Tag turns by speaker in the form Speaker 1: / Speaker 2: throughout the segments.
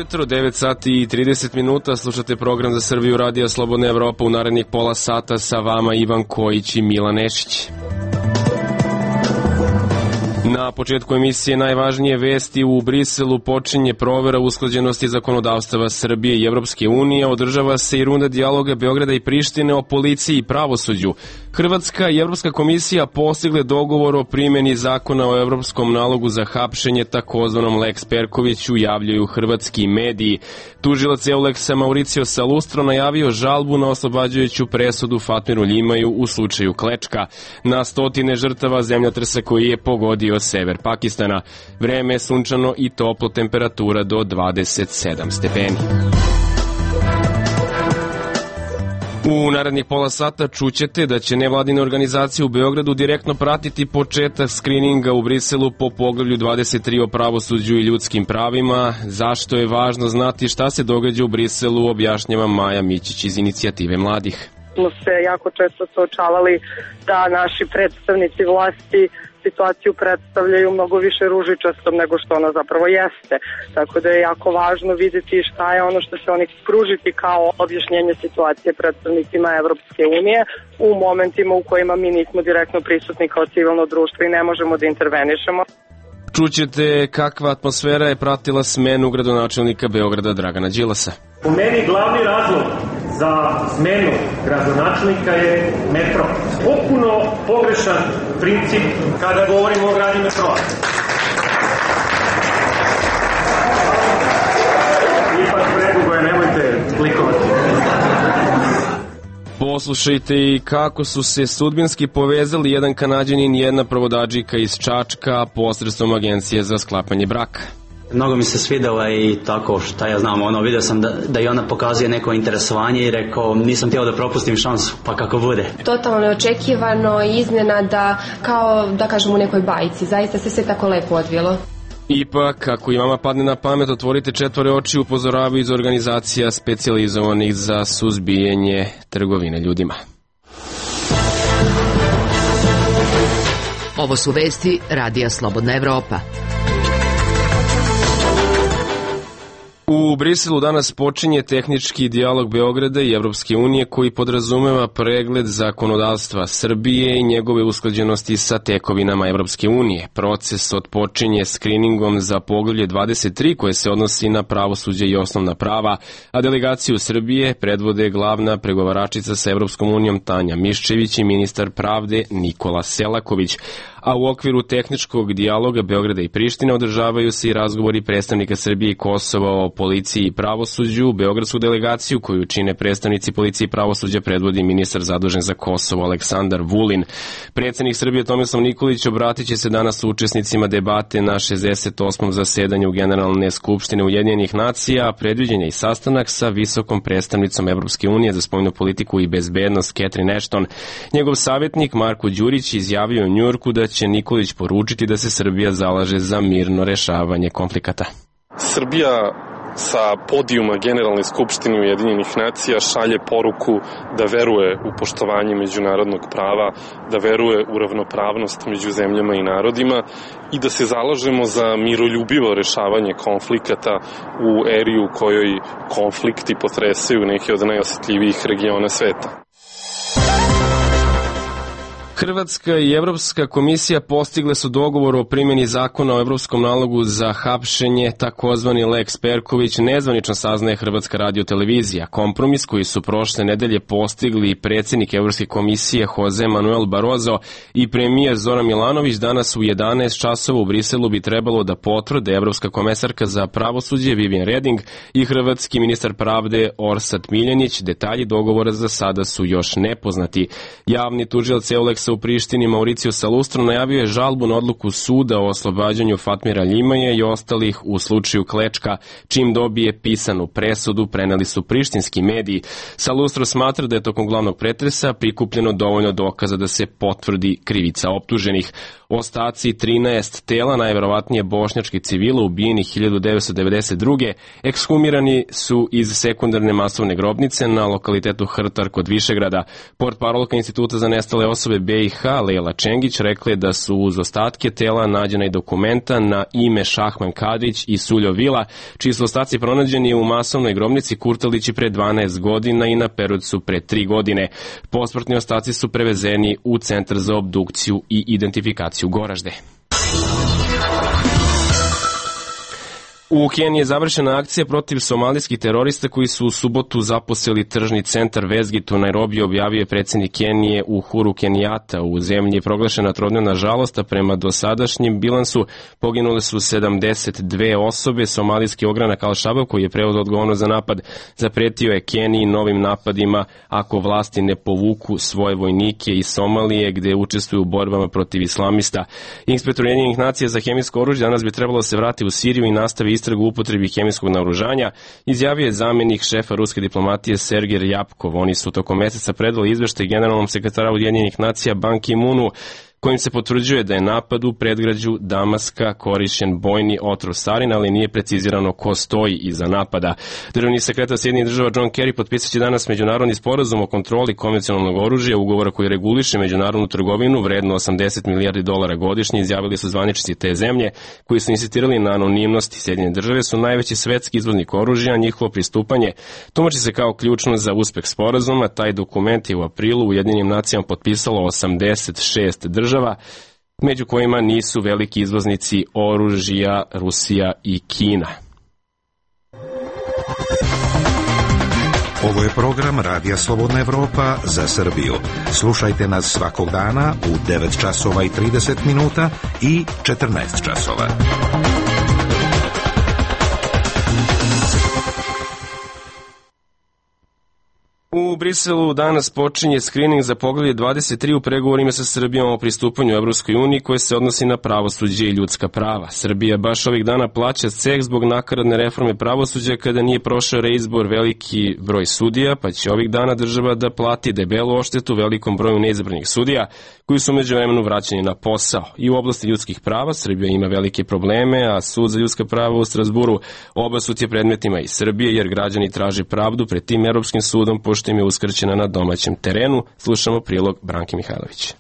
Speaker 1: jutro, 9 sati i 30 minuta, slušate program za Srbiju Radija Slobodna Evropa. U narednih pola sata sa vama Ivan Kojić i Milan Nešić. Na početku emisije najvažnije vesti. U Briselu počinje provera usklađenosti zakonodavstava Srbije i Evropske unije. Održava se i runda dijaloga Beograda i Prištine o policiji i pravosuđu. Hrvatska i Evropska komisija postigle dogovor o primjeni zakona o evropskom nalogu za hapšenje, takozvanom Lex Perkoviću, javljaju hrvatski mediji. Tužilac Euleksa Mauricio Salustro najavio žalbu na oslobađajuću presudu Fatmiru Ljimaju u slučaju Klečka. Na stotine žrtava zemljotresa koji je pogodio sever Pakistana. Vreme je sunčano i toplo, temperatura do 27 stepeni. U narednih pola sata čućete da će nevladine organizacije u Beogradu direktno pratiti početak skrininga u Briselu po poglavlju 23 o pravosuđu i ljudskim pravima. Zašto je važno znati šta se događa u Briselu, objašnjava Maja Mićić iz Inicijative mladih.
Speaker 2: Smo se jako često suočavali da naši predstavnici vlasti situaciju predstavljaju mnogo više ružičastom nego što ona zapravo jeste. Tako da je jako važno vidjeti šta je ono što će oni pružiti kao objašnjenje situacije predstavnicima Evropske unije u momentima u kojima mi nismo direktno prisutni kao civilno društvo i ne možemo da intervenišemo.
Speaker 1: Čućete kakva atmosfera je pratila smenu gradonačelnika Beograda Dragana Đilasa.
Speaker 3: Po meni glavni razlog za smenu gradonačelnika je metro. Potpuno pogrešan princip kada govorimo o gradnji metroa. Ipak predugo je, nemojte klikovati.
Speaker 1: Poslušajte i kako su se sudbinski povezali jedan Kanađanin i jedna provodadžika iz Čačka posredstvom agencije za sklapanje braka.
Speaker 4: Mnogo mi se svidela i tako, šta ja znam, vidio sam da i ona pokazuje neko interesovanje i rekao nisam htio da propustim šansu, pa kako bude.
Speaker 5: Totalno neočekivano i iznenada, kao da kažem u nekoj bajci, zaista se sve tako lepo odvilo.
Speaker 1: Ipak, ako i vama padne na pamet, otvorite četvore oči, upozoravaju iz organizacija specijalizovanih za suzbijanje trgovine ljudima.
Speaker 6: Ovo su vesti Radija Slobodna Evropa.
Speaker 1: U Briselu danas počinje tehnički dijalog Beograda i Evropske unije koji podrazumeva pregled zakonodavstva Srbije i njegove usklađenosti sa tekovinama Evropske unije. Proces otpočinje skriningom za poglavlje 23 koje se odnosi na pravosuđe i osnovna prava, a delegaciju Srbije predvode glavna pregovaračica sa Evropskom unijom Tanja Miščević i ministar pravde Nikola Selaković. A u okviru tehničkog dijaloga Beograda i Prištine održavaju se i razgovori predstavnika Srbije i Kosova o policiji i pravosuđu. Beogradsku delegaciju koju čine predstavnici policije i pravosuđa predvodi ministar zadužen za Kosovo Aleksandar Vulin. Predsednik Srbije Tomislav Nikolić obratit će se danas učesnicima debate na 68. zasedanju Generalne skupštine Ujedinjenih nacija, a predviđen je i sastanak sa visokom predstavnicom Evropske unije za spoljnu politiku i bezbednost Catherine Ashton. Njegov savjetnik Marko Đurić izjavio u Njujorku da će Nikolić poručiti da se Srbija zalaže za mirno rešavanje konflikata.
Speaker 7: Srbija sa podijuma Generalne skupštine Ujedinjenih nacija šalje poruku da veruje u poštovanje međunarodnog prava, da veruje u ravnopravnost među zemljama i narodima i da se zalažemo za miroljubivo rešavanje konflikata u eri u kojoj konflikti potresaju neke od najosetljivijih regiona sveta.
Speaker 1: Hrvatska i Evropska komisija postigle su dogovor o primjeni zakona o evropskom nalogu za hapšenje, takozvani Lex Perković, nezvanično saznaje Hrvatska radiotelevizija. Kompromis koji su prošle nedelje postigli predsjednik Evropske komisije Jose Manuel Barroso i premijer Zoran Milanović danas u 11 časova u Briselu bi trebalo da potvrde Evropska komesarka za pravosuđe Vivian Reding i hrvatski ministar pravde Orsat Miljanić. Detalji dogovora za sada su još nepoznati. Javni tužilac Euleksa u Prištini Mauricio Salustro najavio je žalbu na odluku suda o oslobađanju Fatmira Ljimaja i ostalih u slučaju Klečka. Čim dobije pisanu presudu, preneli su prištinski mediji. Salustro smatra da je tokom glavnog pretresa prikupljeno dovoljno dokaza da se potvrdi krivica optuženih. Ostaci 13 tela, najverovatnije bošnjačkih civila ubijenih 1992. ekshumirani su iz sekundarne masovne grobnice na lokalitetu Hrtar kod Višegrada. Portparolka Instituta za nestale osobe BiH BiH Lejla Čengić rekla je da su uz ostatke tela nađena i dokumenta na ime Šahman Kadrić i Suljo Vila, čiji su ostaci pronađeni u masovnoj grobnici Kurtalići pre 12 godina i na Perovcu pre 3 godine. Posmrtni ostaci su prevezeni u Centar za obdukciju i identifikaciju Goražde. U Keniji je završena akcija protiv somalijskih terorista koji su u subotu zaposeli tržni centar Westgate u Nairobiju, objavio je predsjednik Kenije Uhuru Kenijata. U zemlji je proglašena trodnevna žalost, a prema dosadašnjem bilansu poginule su 72 osobe. Somalijski ogranak Al-Shabaab, koji je preuzeo odgovornost za napad, zapretio je Keniji novim napadima ako vlasti ne povuku svoje vojnike iz Somalije, gde učestvuju u borbama protiv islamista. Inspektor Ujedinjenih nacija za hemijsko oružje danas bi trebalo da se vrati u Siriju i nastavi istragu u upotrebi hemijskog naoružanja, izjavio je zamjenik šefa ruske diplomatije Sergej Ryabkov. Oni su tokom meseca predali izveštaj generalnom sekretaru Ujedinjenih nacija Ban Ki-moonu, kojim se potvrđuje da je napad u predgrađu Damaska korišćen bojni otrov sarin, ali nije precizirano ko stoji iza napada. Državni sekretar Sjedinjenih država John Kerry potpisaće danas međunarodni sporazum o kontroli konvencionalnog oružja, ugovora koji reguliše međunarodnu trgovinu vredno $80 milijardi godišnje, izjavili su zvaničnici te zemlje koji su insistirali na anonimnosti. Sjedinjene države su najveći svetski izvoznik oružja, njihovo pristupanje tumači se kao ključno za uspeh sporazuma. Taj dokument je u aprilu Ujedinjenim nacijama potpisalo 86 država, među kojima nisu veliki izvoznici oružja Rusija i Kina.
Speaker 8: Ovo je program Radija Slobodna Evropa za Srbiju. Slušajte nas svakog dana u 9 časova i 30 minuta i 14 časova.
Speaker 1: U Briselu danas počinje skrining za poglavlje 23 u pregovorima sa Srbijom o pristupanju Evropskoj uniji koje se odnosi na pravosuđe i ljudska prava. Srbija baš ovih dana plaća ceh zbog nakaradne reforme pravosuđa kada nije prošao reizbor veliki broj sudija, pa će ovih dana država da plati debelu odštetu velikom broju neizabranih sudija koji su međuvremenu vraćeni na posao. I u oblasti ljudskih prava Srbija ima velike probleme, a Sud za ljudska prava u Strasburu obasut je predmetima iz Srbije jer građani traže pravdu pred tim Evropskim sudom pošto im je uskraćena na domaćem terenu. Slušamo prilog Branke Mihajlović.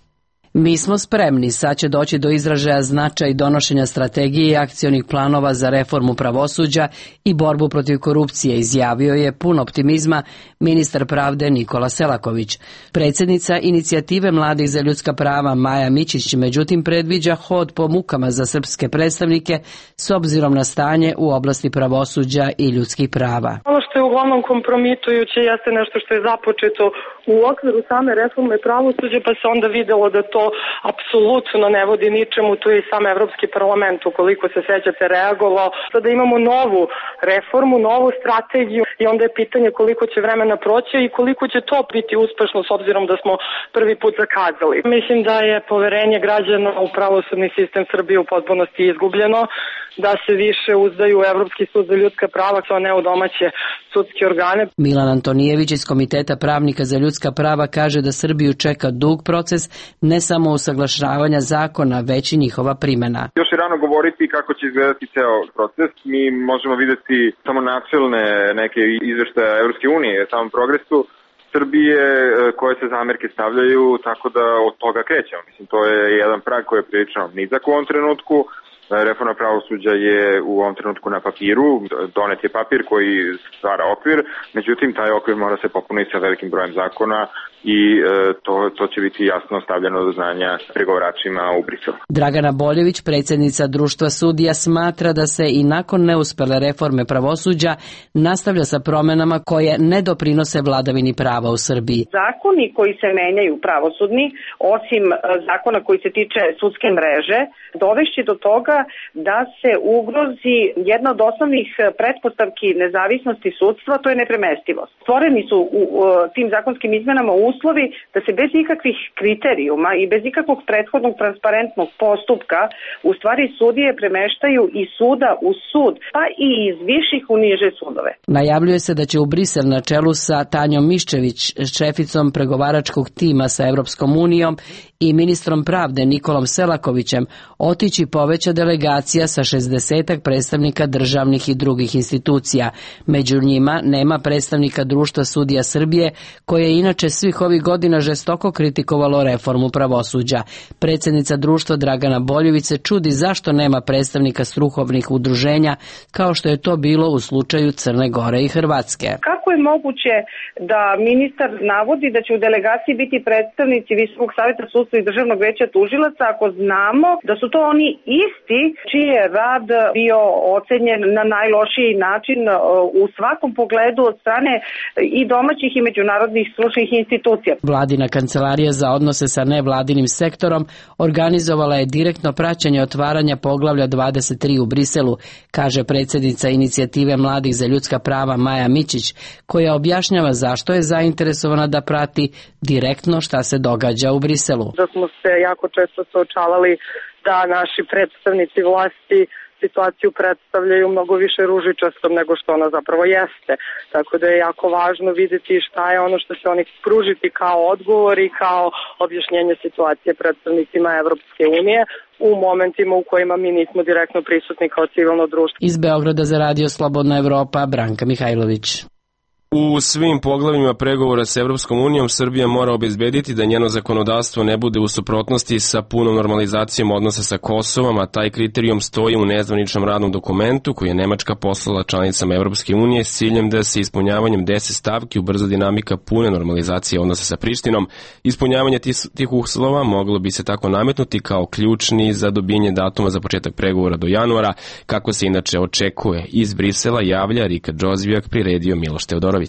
Speaker 9: Mi smo spremni, sad će doći do izražaja značaj donošenja strategije i akcionih planova za reformu pravosuđa i borbu protiv korupcije, izjavio je pun optimizma ministar pravde Nikola Selaković. Predsjednica inicijative Mladih za ljudska prava Maja Mićić međutim predviđa hod po mukama za srpske predstavnike s obzirom na stanje u oblasti pravosuđa i ljudskih prava.
Speaker 2: Ono što je uglavnom kompromitujuće jeste nešto što je započeto u okviru same reforme pravosuđa, pa se onda videlo da to apsolutno ne vodi ničemu. Tu je i sam Evropski parlament, ukoliko se sećate, reagovao. Sada imamo novu reformu, novu strategiju i onda je pitanje koliko će vremena proći i koliko će to biti uspešno s obzirom da smo prvi put zakazali. Mislim da je poverenje građana u pravosudni sistem Srbije u potpunosti izgubljeno, da se više uzdaju u Evropski sud za ljudska prava, a ne u domaće sudske organe.
Speaker 9: Milan Antonijević iz Komiteta pravnika za ljudska prava kaže da Srbiju čeka dug proces, ne samo usaglašavanja zakona, već i njihova primjena.
Speaker 10: Još je rano govoriti kako će izgledati ceo proces. Mi možemo videti samo načelne neke izveštaje Evropske unije, samom progresu Srbije koje se zamerke stavljaju, tako da od toga krećemo. Mislim, to je jedan prag koji je prilično nizak u ovom trenutku. Reforma pravosuđa je u ovom trenutku na papiru, donet je papir koji stvara okvir, međutim taj okvir mora se popuniti sa velikim brojem zakona i to će biti jasno stavljeno do znanja pregovaračima u Briselu.
Speaker 9: Dragana Boljević, predsjednica Društva sudija, smatra da se i nakon neuspele reforme pravosuđa nastavlja sa promjenama koje ne doprinose vladavini prava u Srbiji.
Speaker 11: Zakoni koji se menjaju pravosudni, osim zakona koji se tiče sudske mreže, dovešće do toga da se ugrozi jedna od osnovnih pretpostavki nezavisnosti sudstva, to je nepremestivost. Stvoreni su u tim zakonskim izmenama uslovi da se bez ikakvih kriterijuma i bez ikakvog prethodnog transparentnog postupka u stvari sudije premeštaju iz suda u sud, pa i iz viših u niže sudove.
Speaker 9: Najavljuje se da će u Brisel na čelu sa Tanjom Miščević, šeficom pregovaračkog tima sa Evropskom unijom i ministrom pravde Nikolom Selakovićem otići poveća delegacija sa 60 predstavnika državnih i drugih institucija. Među njima nema predstavnika Društva sudija Srbije, koje je inače svih svih ovih godina žestoko kritikovalo reformu pravosuđa. Predsjednica društva Dragana Boljević se čudi zašto nema predstavnika strukovnih udruženja kao što je to bilo u slučaju Crne Gore i Hrvatske.
Speaker 11: Kako je moguće da ministar navodi da će u delegaciji biti predstavnici Visokog saveta sudstva i Državnog veća tužilaca ako znamo da su to oni isti čiji je rad bio ocenjen na najlošiji način u svakom pogledu od strane i domaćih i međunarodnih stručnih institucija.
Speaker 9: Vladina kancelarija za odnose sa nevladinim sektorom organizovala je direktno praćenje otvaranja poglavlja 23 u Briselu, kaže predsjednica inicijative Mladih za ljudska prava Maja Mićić, koja objašnjava zašto je zainteresovana da prati direktno šta se događa u Briselu.
Speaker 2: Da smo se jako često suočavali da naši predstavnici vlasti situaciju predstavljaju mnogo više ružičastom nego što ona zapravo jeste. Tako da je jako važno vidjeti šta je ono što će oni pružiti kao odgovor i kao objašnjenje situacije predstavnicima Evropske unije u momentima u kojima mi nismo direktno prisutni kao civilno društvo.
Speaker 9: Iz Beograda za Radio Slobodna Evropa, Branka Mihajlović.
Speaker 1: U svim poglavljima pregovora s Evropskom unijom Srbija mora obezbediti da njeno zakonodavstvo ne bude u suprotnosti sa punom normalizacijom odnosa sa Kosovom, a taj kriterijum stoji u nezvaničnom radnom dokumentu koji je Nemačka poslala članicama Evropske unije s ciljem da se ispunjavanjem 10 stavki ubrza dinamika pune normalizacije odnosa sa Prištinom. Ispunjavanje tih uslova moglo bi se tako nametnuti kao ključni za dobijenje datuma za početak pregovora do januara, kako se inače očekuje. Iz Brisela javlja Rika Džozvijak, priredio Miloš Teodorović.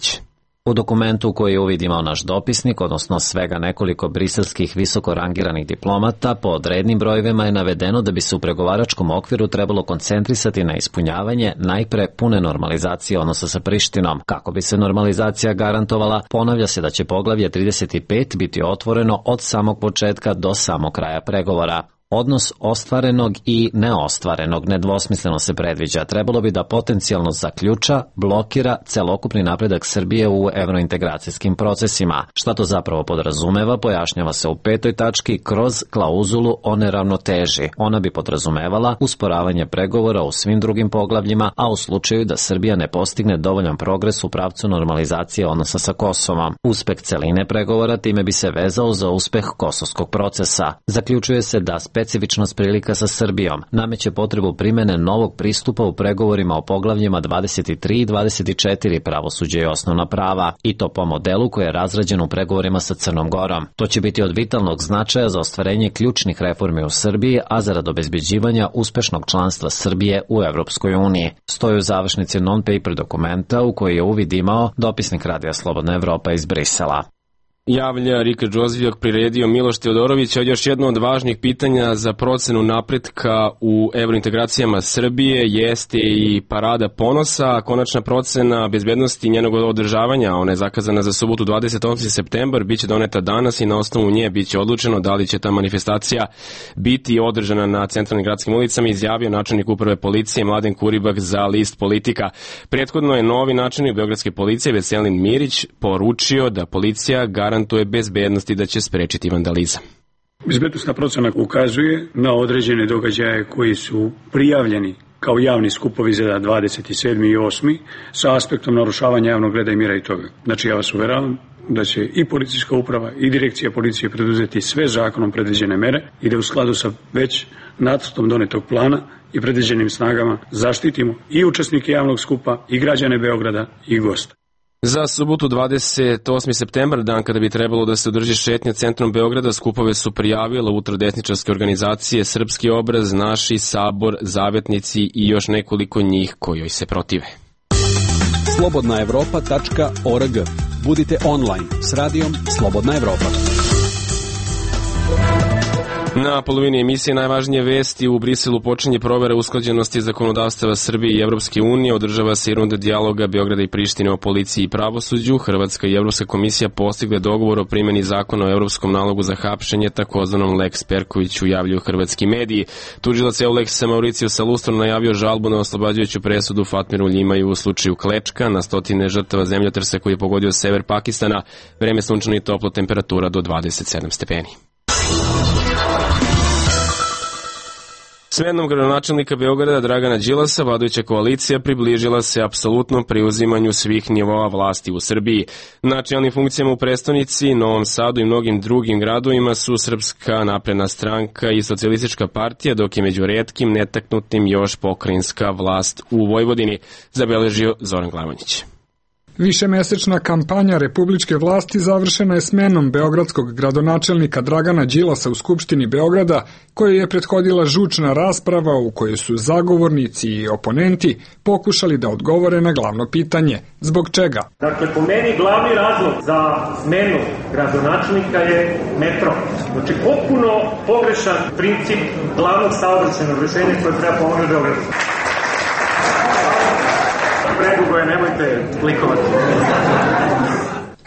Speaker 12: U dokumentu koji je uvid imao naš dopisnik, odnosno svega nekoliko briselskih visoko rangiranih diplomata, po rednim brojevima je navedeno da bi se u pregovaračkom okviru trebalo koncentrisati na ispunjavanje najpre pune normalizacije odnosa sa Prištinom. Kako bi se normalizacija garantovala, ponavlja se da će poglavlje 35 biti otvoreno od samog početka do samog kraja pregovora. Odnos ostvarenog i neostvarenog nedvosmisleno se predviđa. Trebalo bi da potencijalno zaključa, blokira celokupni napredak Srbije u evrointegracijskim procesima. Šta to zapravo podrazumeva, pojašnjava se u 5. tački kroz klauzulu o neravnoteži. Ona bi podrazumevala usporavanje pregovora u svim drugim poglavljima, a u slučaju da Srbija ne postigne dovoljan progres u pravcu normalizacije odnosa sa Kosovom. Uspeh celine pregovora time bi se vezao za uspeh kosovskog procesa. Zaključuje se da specifičnost prilika sa Srbijom nameće potrebu primene novog pristupa u pregovorima o poglavljima 23 i 24 pravosuđe i osnovna prava, i to po modelu koji je razrađen u pregovorima sa Crnom Gorom. To će biti od vitalnog značaja za ostvarenje ključnih reformi u Srbiji, a zarad obezbeđivanja uspešnog članstva Srbije u Evropskoj uniji. Stoji u završnici non-paper dokumenta u koji je uvid imao dopisnik Radija Slobodna Evropa iz Brisela.
Speaker 1: Javlja Rika Džozvijak, priredio Miloš Teodorović. Još jedno od važnih pitanja za procenu napretka u evrointegracijama Srbije jeste i Parada ponosa. Konačna procena bezbednosti njenog održavanja, ona je zakazana za subotu 28. septembar, biće doneta danas i na osnovu nje biće odlučeno da li će ta manifestacija biti održana na centralnim gradskim ulicama, izjavio načelnik uprave policije Mladen Kuribak za list Politika. Prethodno je novi načelnik beogradske policije Veselin Mirić poručio da policija garantuje bezbednost i da će sprečiti vandalizam.
Speaker 13: Bezbednosna procena ukazuje na određene događaje koji su prijavljeni kao javni skupovi za 27. i 8. sa aspektom narušavanja javnog reda i mira i toga. Znači, ja vas uveravam da će i policijska uprava i direkcija policije preduzeti sve zakonom predviđene mere i da u skladu sa već nacrtom donetog plana i predviđenim snagama zaštitimo i učesnike javnog skupa i građane Beograda i gosta.
Speaker 1: Za subotu 28. septembar, dan kada bi trebalo da se održi šetnja centrom Beograda, skupove su prijavile ultradesničarske organizacije Srpski obraz, Naši, Sabor, Zavetnici i još nekoliko njih kojoj se protive.
Speaker 14: slobodnaevropa.org. Budite online s radijom Slobodna Evropa.
Speaker 1: Na polovini emisije najvažnije vesti. U Briselu počinje provera usklađenosti zakonodavstava Srbije i Evropske unije. Održava se i runda dijaloga Beograda i Prištine o policiji i pravosuđu. Hrvatska i Evropska komisija postigle dogovor o primjeni zakona o Evropskom nalogu za hapšenje, takozvanom Lex Perkoviću, javljaju hrvatski mediji. Tužilac Euleksa Mauricijusa Lustron najavio žalbu na oslobađajuću presudu Fatmiru Ljimaju u slučaju Klečka. Na stotine žrtava zemljotresa koji je pogodio sever Pakistana. Vreme sunčano i toplo, temperatura do 27 stepeni. Smenom gradonačelnika Beograda Dragana Đilasa vladajuća koalicija približila se apsolutnom preuzimanju svih nivoa vlasti u Srbiji. Na čelnim funkcijama u prestonici, Novom Sadu i mnogim drugim gradovima su Srpska napredna stranka i Socijalistička partija, dok je među retkim netaknutim još pokrajinska vlast u Vojvodini, zabeležio Zoran Glavanjić.
Speaker 15: Višemesečna kampanja republičke vlasti završena je smenom beogradskog gradonačelnika Dragana Đilasa u Skupštini Beograda, kojoj je prethodila žučna rasprava u kojoj su zagovornici i oponenti pokušali da odgovore na glavno pitanje. Zbog čega?
Speaker 3: Dakle, po meni glavni razlog za smenu gradonačelnika je metro. Znači, potpuno pogrešan princip glavnog saobraćajnog rešenja koje treba pomoći Beogradu. Predugo je, nemojte klikovati.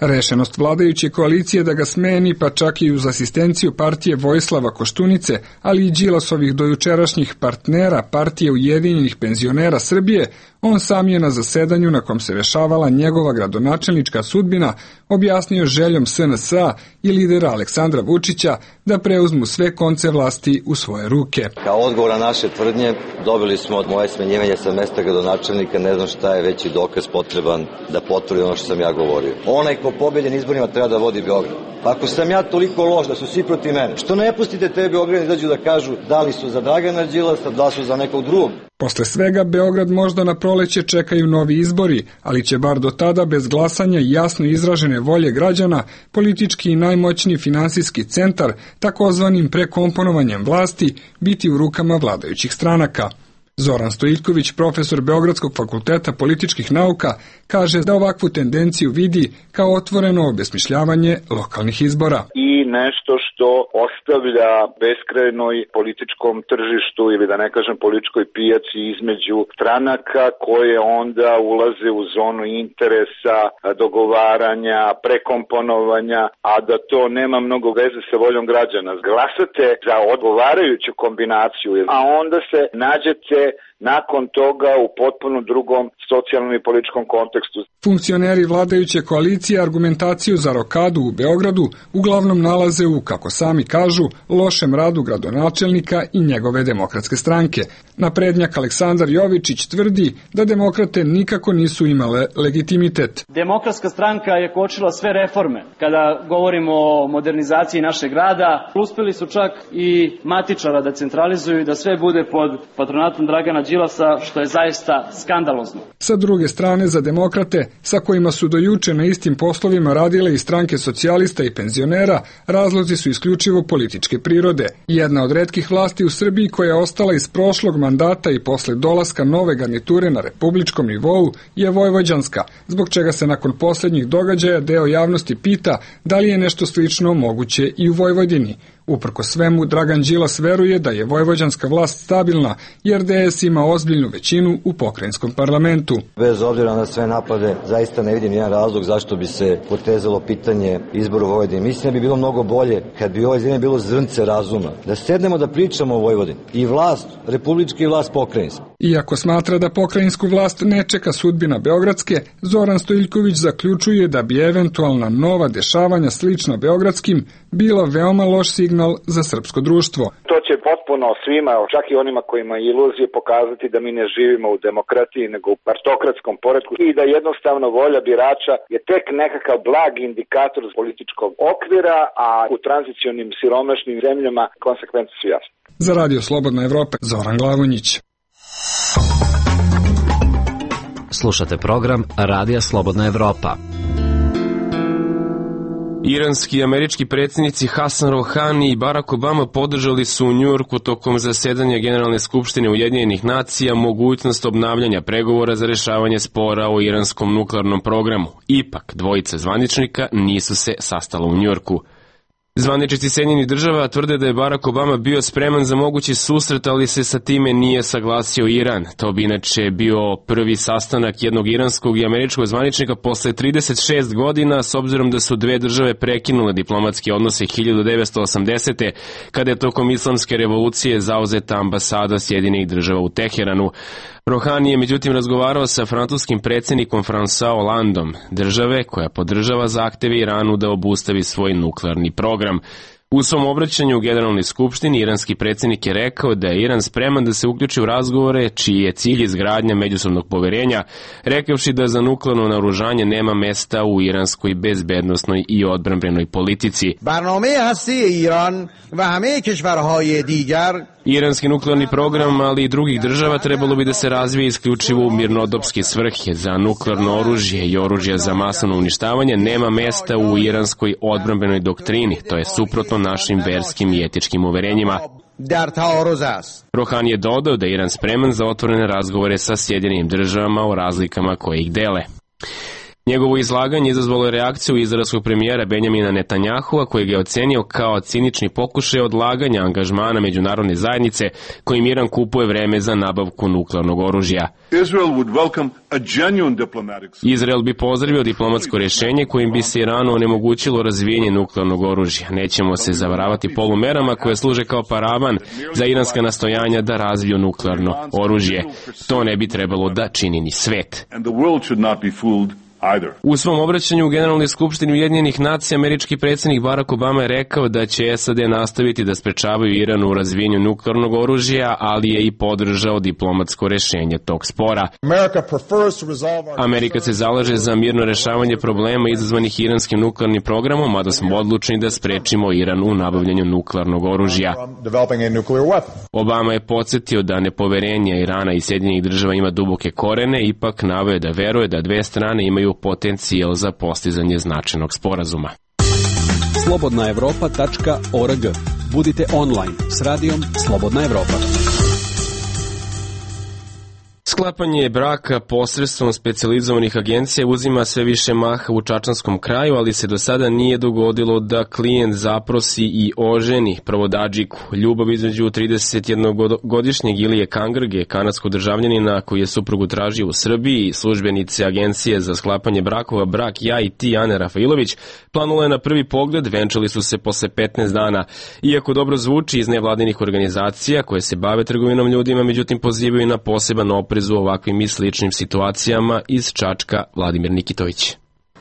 Speaker 15: Rešenost vladajuće koalicije da ga smeni, pa čak i uz asistenciju partije Vojislava Koštunice, ali i Đilasovih dojučerašnjih partnera partije Ujedinjenih penzionera Srbije, on sam je na zasedanju na kom se rešavala njegova gradonačelnička sudbina objasnio željom SNS-a i lidera Aleksandra Vučića da preuzmu sve konce vlasti u svoje ruke.
Speaker 16: Kao odgovor na naše tvrdnje dobili smo od moje smenjivanje sa mesta gradonačelnika, ne znam šta je veći dokaz potreban da potvrdi ono što sam ja govorio. Onaj ko pobedi na izborima treba da vodi Beograd. Pa ako sam ja toliko loš da su svi protiv mene, što ne pustite te Beograd izađu da kažu da li su za Dragana Đilasa, da li su za nekog drugog.
Speaker 15: Posle svega Beograd možda na proleće čekaju novi izbori, ali će bar do tada bez glasanja i jasno izražene volje građana politički i najmoćniji finansijski centar, takozvanim prekomponovanjem vlasti, biti u rukama vladajućih stranaka. Zoran Stojiljković, profesor Beogradskog fakulteta političkih nauka, kaže da ovakvu tendenciju vidi kao otvoreno obesmišljavanje lokalnih izbora.
Speaker 17: I nešto što ostavlja beskrajnoj političkom tržištu ili da ne kažem političkoj pijaci između stranaka koje onda ulaze u zonu interesa, dogovaranja, prekomponovanja, a da to nema mnogo veze sa voljom građana. Glasate za odgovarajuću kombinaciju, a onda se nađete nakon toga u potpuno drugom socijalnom i političkom kontekstu.
Speaker 15: Funkcioneri vladajuće koalicije argumentaciju za rokadu u Beogradu uglavnom nalaze u, kako sami kažu, lošem radu gradonačelnika i njegove demokratske stranke. Naprednjak Aleksandar Jovičić tvrdi da demokrate nikako nisu imale legitimitet.
Speaker 18: Demokratska stranka je kočila sve reforme. Kada govorimo o modernizaciji našeg grada, uspeli su čak i matičara da centralizuju i da sve bude pod patronatom Dragana Đilasa, što je zaista skandalozno.
Speaker 15: Sa druge strane, za demokrate, sa kojima su do juče na istim poslovima radile i stranke socijalista i penzionera, razlozi su isključivo političke prirode. Jedna od retkih vlasti u Srbiji koja je ostala iz prošlog mandata i posle dolaska nove garniture na republičkom nivou je vojvođanska, zbog čega se nakon poslednjih događaja deo javnosti pita da li je nešto slično moguće i u Vojvodini. Uprko svemu, Dragan Đilas veruje da je vojvođanska vlast stabilna, jer DS ima ozbiljnu većinu u pokrajinskom parlamentu.
Speaker 16: Bez obzira na sve napade, zaista ne vidim jedan razlog zašto bi se potezalo pitanje izboru Vojvodine. Mislim da bi bilo mnogo bolje kad bi ovoj zemlji bilo zrnce razuma, da sednemo da pričamo o Vojvodini. I vlast republička i vlast pokrajinska.
Speaker 15: Iako smatra da pokrajinsku vlast ne čeka sudbina beogradske, Zoran Stojiljković zaključuje da bi eventualna nova dešavanja slična beogradskim bila veoma loš signal za srpsko društvo.
Speaker 17: To će potpuno svima, čak i onima kojima je iluzije, pokazati da mi ne živimo u demokratiji, nego u partokratskom poretku i da jednostavno volja birača je tek nekakav blag indikator političkog okvira, a u tranzicionim siromašnim zemljama konsekvence su jasne.
Speaker 15: Za Radio Slobodna Evropa, Zoran Glavonjić.
Speaker 12: Slušate program Radija Slobodna Evropa.
Speaker 1: Iranski i američki predsjednici Hasan Rouhani i Barack Obama podržali su u Njujorku tokom zasedanja Generalne skupštine Ujedinjenih nacija mogućnost obnavljanja pregovora za rešavanje spora o iranskom nuklearnom programu. Ipak, dvojica zvaničnika nisu se sastala u Njujorku. Zvaničnici Sjedinjenih država tvrde da je Barack Obama bio spreman za mogući susret, ali se sa time nije saglasio Iran. To bi inače bio prvi sastanak jednog iranskog i američkog zvaničnika posle 36 godina, s obzirom da su dve države prekinule diplomatske odnose 1980. kada je tokom islamske revolucije zauzeta ambasada Sjedinjenih država u Teheranu. Rouhani je međutim razgovarao sa francuskim predsjednikom François Hollandom, države koja podržava zahteve Iranu da obustavi svoj nuklearni program. U svom obraćanju u Generalnoj skupštini iranski predsjednik je rekao da je Iran spreman da se uključi u razgovore čiji je cilj izgradnja međusobnog poverenja, rekavši da za nuklearno naoružanje nema mesta u iranskoj bezbednosnoj i odbrambenoj politici. Iranski nuklearni program, ali i drugih država, trebalo bi da se razvije isključivo u mirnodopske svrhe. Za nuklearno oružje i oružje za masovno uništavanje nema mesta u iranskoj odbrambenoj doktrini, to je suprotno našim verskim i etičkim uverenjima. Rohani je dodao da je Iran spreman za otvorene razgovore sa Sjedinjenim državama o razlikama koje ih dele. Njegovo izlaganje izazvalo je reakciju izraelskog premijera Benjamina Netanyahua, koji ga je ocenio kao cinični pokušaj odlaganja angažmana međunarodne zajednice kojim Iran kupuje vreme za nabavku nuklearnog oružja. Izrael bi pozdravio diplomatsko rješenje kojim bi se Iranu onemogućilo razvijenje nuklearnog oružja. Nećemo se zavaravati polumerama koje služe kao paravan za iranska nastojanja da razviju nuklearno oružje. To ne bi trebalo da čini ni svet. U svom obraćanju u Generalnoj skupštini Ujedinjenih nacija američki predsjednik Barack Obama je rekao da će SAD nastaviti da sprečavaju Iran u razvijenju nuklearnog oružja, ali je i podržao diplomatsko rješenje tog spora. Amerika se zalaže za mirno rješavanje problema izazvanih iranskim nuklearnim programom, mada smo odlučni da sprečimo Iran u nabavljanju nuklearnog oružja. Obama je podsjetio da nepoverenje Irana i Sjedinjenih država ima duboke korene, ipak naveo da veruje da dve strane imaju potencijal za postizanje značajnog sporazuma.
Speaker 14: slobodnaevropa.org. Budite online s radijom Slobodna Evropa.
Speaker 1: Sklapanje braka posredstvom specijalizovanih agencija uzima sve više maha u čačanskom kraju, ali se do sada nije dogodilo da klijent zaprosi i oženi provodadžiku. Ljubav između 31-godišnjeg Ilije Kangrge, kanadskog državljanina koji je suprugu tražio u Srbiji, službenice agencije za sklapanje brakova Brak ja i ti Ane Rafailović, planulo je na prvi pogled, venčali su se posle 15 dana. Iako dobro zvuči iz nevladinih organizacija koje se bave trgovinom ljudima, međutim pozivaju na poseban oprez u ovakvim i sličnim situacijama. Iz Čačka Vladimir Nikitović.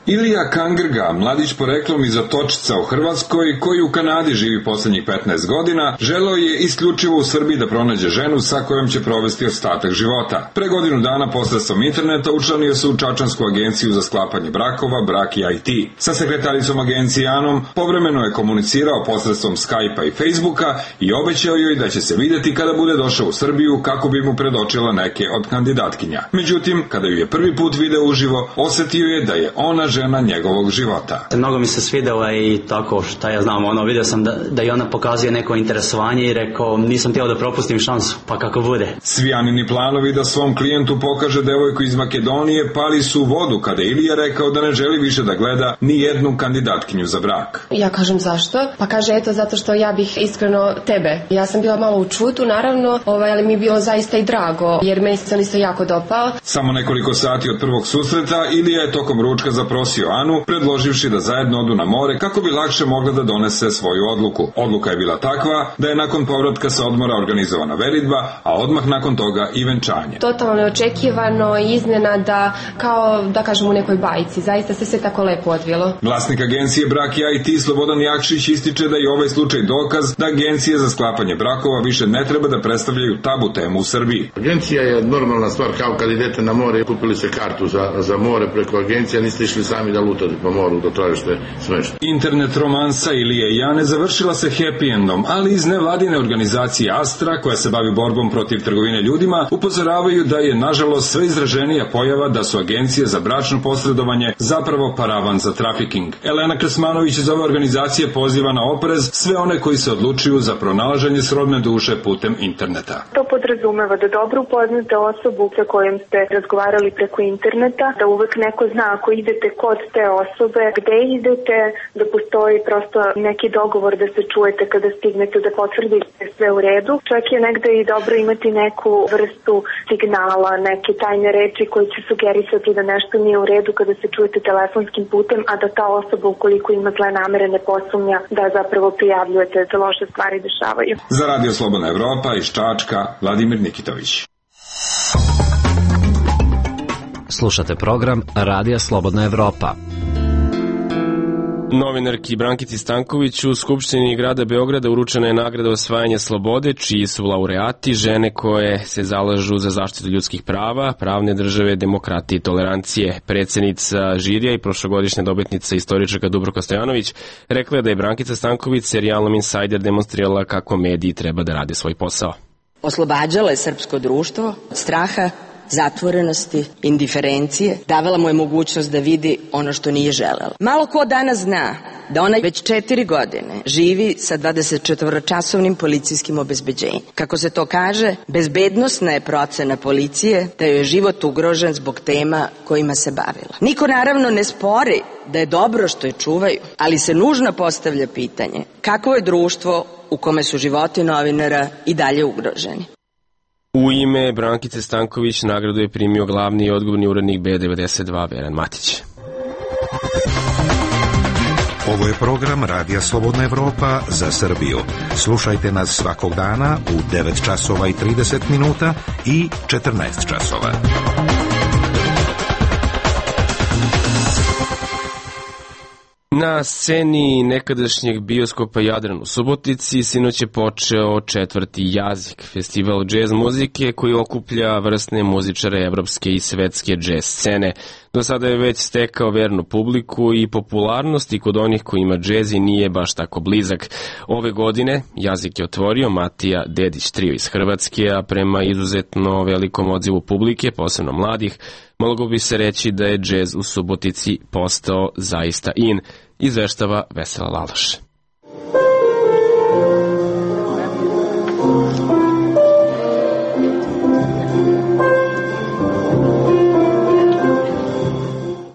Speaker 19: Ilija Kangrga, mladić poreklom iz Otočica u Hrvatskoj, koji u Kanadi živi poslednjih 15 godina, želeo je isključivo u Srbiji da pronađe ženu sa kojom će provesti ostatak života. Pre godinu dana posredstvom interneta učlanio se u čačansku agenciju za sklapanje brakova Brak ja i ti. Sa sekretaricom agencije Anom povremeno je komunicirao posredstvom Skype-a i Facebooka i obećao joj da će se videti kada bude došao u Srbiju kako bi mu predočila neke od kandidatkinja. Međutim, kada ju je prvi put video uživo, osetio je da je ona žena njegovog života.
Speaker 4: Mnogo mi se svidela i tako, šta ja znam, vidio sam da i ona pokazuje neko interesovanje i rekao, nisam htio da propustim šansu, pa kako bude.
Speaker 19: Svi Anini planovi da svom klijentu pokaže devojku iz Makedonije pali su u vodu kada Ilija rekao da ne želi više da gleda ni jednu kandidatkinju za brak.
Speaker 5: Ja kažem zašto? Pa kaže eto zato što ja bih iskreno tebe. Ja sam bila malo u čutu naravno, ali mi je bilo zaista i drago jer meni se on isto jako dopao.
Speaker 19: Samo nekoliko sati od prvog susreta Ilija je tokom ručka zaprosio Anu, predloživši da zajedno odu na more kako bi lakše mogla da donese svoju odluku. Odluka je bila takva da je nakon povratka sa odmora organizovana veritba, a odmah nakon toga i venčanje.
Speaker 5: Totalno neočekivano i iznenada, kao da kažem u nekoj bajci. Zaista se sve tako lepo odvilo.
Speaker 19: Vlasnik agencije Brak ja i ti Slobodan Jakšić ističe da je ovaj slučaj dokaz da agencije za sklapanje brakova više ne treba da predstavljaju tabu temu u Srbiji.
Speaker 20: Agencija je normalna stvar, kao kad idete na more, kupili se kartu za more preko agencija, niste išli sami da lutate po moru, da tražite smešta.
Speaker 19: Internet romansa Ilije i Ane završila se happy endom, ali iz nevladine organizacije Astra, koja se bavi borbom protiv trgovine ljudima, upozoravaju da je nažalost sve izraženija pojava da su agencije za bračno posredovanje zapravo paravan za trafiking. Elena Krsmanović iz ove organizacije poziva na oprez sve one koji se odlučuju za pronalaženje srodne duše putem interneta.
Speaker 21: To podrazumeva da dobro upoznate osobu sa kojom ste razgovarali preko interneta, da uvek neko zna ako idete kod te osobe, gde idete, da postoji prosto neki dogovor da se čujete kada stignete, da potvrdite sve u redu. Čak je negde i dobro imati neku vrstu signala, neke tajne reči koji će sugerisati da nešto nije u redu kada se čujete telefonskim putem, a da ta osoba ukoliko ima zle namere ne posumnja da zapravo prijavljujete da loše stvari dešavaju.
Speaker 19: Za Radio Slobodna Evropa iz Čačka, Vladimir Nikitović.
Speaker 12: Slušate program Radija Slobodna Evropa.
Speaker 1: Novinarki Brankici Stanković u Skupštini grada Beograda uručena je nagrada osvajanja slobode, čiji su laureati žene koje se zalažu za zaštitu ljudskih prava, pravne države, demokratije i tolerancije. Predsednica žirija i prošlogodišnja dobitnica istoričarka Dubravka Stojanović rekla je da je Brankica Stanković serijalom Insider demonstrirala kako mediji treba da rade svoj posao.
Speaker 6: Oslobađala je srpsko društvo od straha, zatvorenosti, indiferencije, davala mu je mogućnost da vidi ono što nije želela. Malo ko danas zna da ona već 4 godine živi sa 24-časovnim policijskim obezbeđenjem. Kako se to kaže, bezbednosna je procena policije da joj je život ugrožen zbog tema kojima se bavila. Niko naravno ne spori da je dobro što je čuvaju, ali se nužno postavlja pitanje kakvo je društvo u kome su životi novinara i dalje ugroženi.
Speaker 1: U ime Brankice Stanković nagradu je primio glavni i odgovorni urednik B92 Veran Matić.
Speaker 8: Ovo je program Radija Slobodna Evropa za Srbiju. Slušajte nas svakog dana u 9 časova i 30 minuta i 14 časova.
Speaker 1: Na sceni nekadašnjeg bioskopa Jadran u Subotici sinoć je počeo 4. Jazik, festival džez muzike koji okuplja vrsne muzičare evropske i svetske džez scene. Do sada je već stekao vernu publiku i popularnost i kod onih kojima džezi nije baš tako blizak. Ove godine Jazik je otvorio Matija Dedić trio iz Hrvatske, a prema izuzetno velikom odzivu publike, posebno mladih, moglo bi se reći da je džez u Subotici postao zaista in, izveštava Vesela Laloš.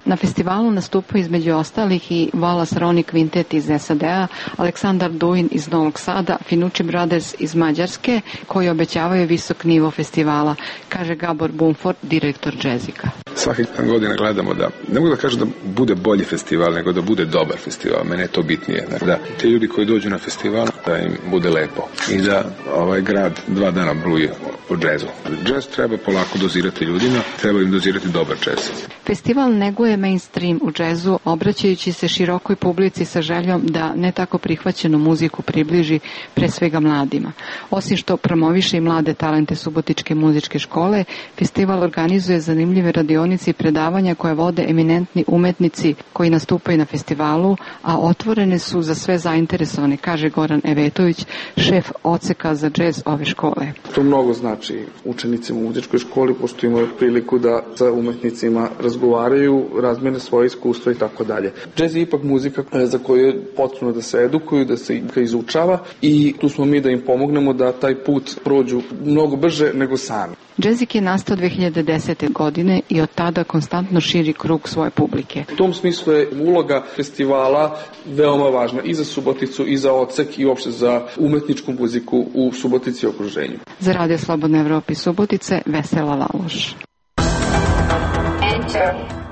Speaker 22: Na festivalu nastupaju između ostalih i Wallace Roni Quintet iz SAD-a, Aleksandar Duin iz Novog Sada, Finucci Brothers iz Mađarske, koji obećavaju visok nivo festivala, kaže Gabor Bumford, direktor džezika.
Speaker 23: Svake godine gledamo da, ne mogu da kažem da bude bolji festival, nego da bude dobar festival. Mene je to bitnije. Da te ljudi koji dođu na festival, da im bude lepo. I da ovaj grad 2 dana bruje o džezu. Džez treba polako dozirati ljudima, treba im dozirati dobar džez.
Speaker 22: Festival neguje mainstream u džezu, obraćajući se širokoj publici sa željom da ne tako prihvaćenu muziku približi pre svega mladima. Osim što promoviše i mlade talente Subotičke muzičke škole, festival organizuje zanimljive radionice i predavanja koje vode eminentni umetnici koji nastupaju na festivalu, a otvorene su za sve zainteresovane, kaže Goran Evetović, šef odseka za džez ove škole.
Speaker 24: To mnogo znači učenicima u muzičkoj školi, pošto imaju priliku da sa umetnicima razgovaraju, razmene svoje iskustva i tako dalje. Džez je ipak muzika za koju je potrebno da se edukuju, da se izučava i tu smo mi da im pomognemo da taj put prođu mnogo brže nego sami.
Speaker 22: Džezik je nastao 2010. godine i od tada konstantno širi krug svoje publike.
Speaker 24: U tom smislu je uloga festivala veoma važna i za Suboticu i za odsek i uopšte za umetničku muziku u Subotici i okruženju.
Speaker 22: Za Radio Slobodne Evrope Subotice, Vesela Laloš.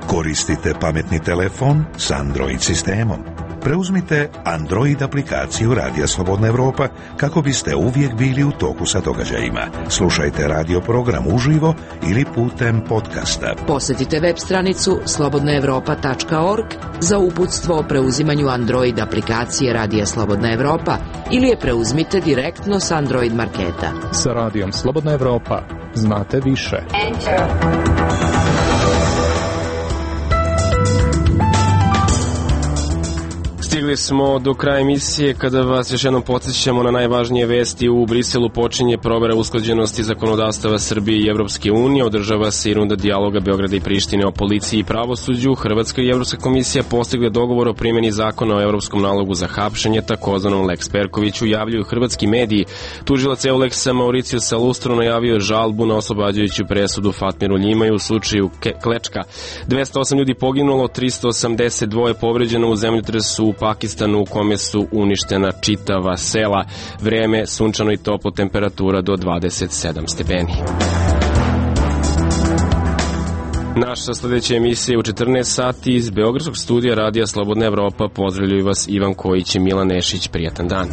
Speaker 8: Koristite pametni telefon s Android sistemom. Preuzmite Android aplikaciju Radija Slobodna Evropa kako biste uvijek bili u toku sa događajima. Slušajte radio program uživo ili putem podcasta.
Speaker 25: Posjetite web stranicu slobodnaevropa.org za uputstvo o preuzimanju Android aplikacije Radija Slobodna Evropa ili je preuzmite direktno s Android marketa.
Speaker 26: Sa Radijom Slobodna Evropa znate više.
Speaker 1: Stigli smo do kraja emisije kada vas još jednom podsjećamo na najvažnije vesti. U Briselu počinje provera usklađenosti zakonodavstava Srbije i Evropske unije, održava se i runda dijaloga Beograda i Prištine o policiji i pravosuđu. Hrvatska i Evropska komisija postigle dogovor o primjeni zakona o evropskom nalogu za hapšenje, takozvanom Lex Perkoviću, javljaju hrvatski mediji. Tužilac Euleksa Mauricijusa Lustro najavio žalbu na oslobađajuću presudu Fatmiru Ljimaju u slučaju Klečka. 208 ljudi poginulo, 382 povređeno u zemljotresu u Pakistanu u kome su uništena čitava sela. Vreme sunčano i toplo, temperatura do 27 stepeni. Naša sljedeća emisija je u 14 sati iz Beogradskog studija Radija Slobodna Evropa. Pozdravljaju vas Ivan Kojić i Milan Nešić. Prijatan dan.